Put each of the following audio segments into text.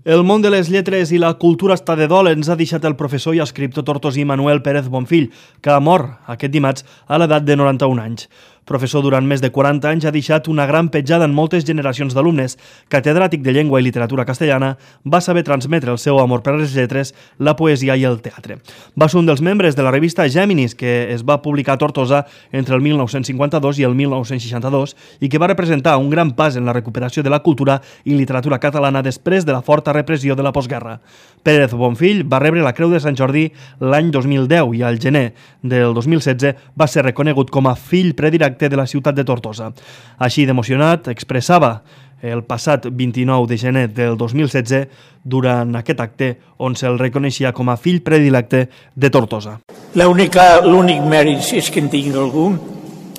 El món de les lletres i la cultura està de dol, ens ha deixat el professor i escriptor tortosí Manuel Pérez Bonfill, que ha mort aquest dimarts a l'edat de 91 anys. Professor durant més de 40 anys, ha deixat una gran petjada en moltes generacions d'alumnes. Catedràtic de llengua i literatura castellana, va saber transmetre el seu amor per les lletres, la poesia i el teatre. Va ser un dels membres de la revista Géminis, que es va publicar a Tortosa entre el 1952 i el 1962 i que va representar un gran pas en la recuperació de la cultura i literatura catalana després de la forta repressió de la postguerra. Pérez Bonfill va rebre la Creu de Sant Jordi l'any 2010 i al gener del 2016 va ser reconegut com a fill predilecte de la ciutat de Tortosa. Així d'emocionat expressava el passat 29 de gener del 2016 durant aquest acte on se'l reconeixia com a fill predilecte de Tortosa. L'únic mèrit, si és que en tinc algun,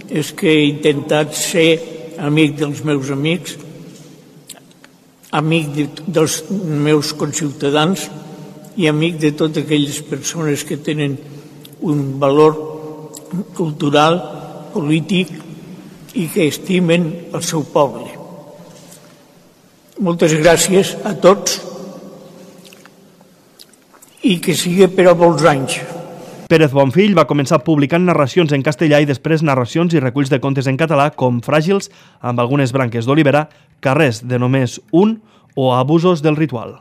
és que he intentat ser amic dels meus amics, amic dels meus conciutadans i amic de totes aquelles persones que tenen un valor cultural, polític i que estimen el seu poble. Moltes gràcies a tots i que sigui per a molts anys. Pérez Bonfill va començar publicant narracions en castellà i després narracions i reculls de contes en català com Fràgils, amb algunes branques d'olivera, Carrers de només un o Abusos del ritual.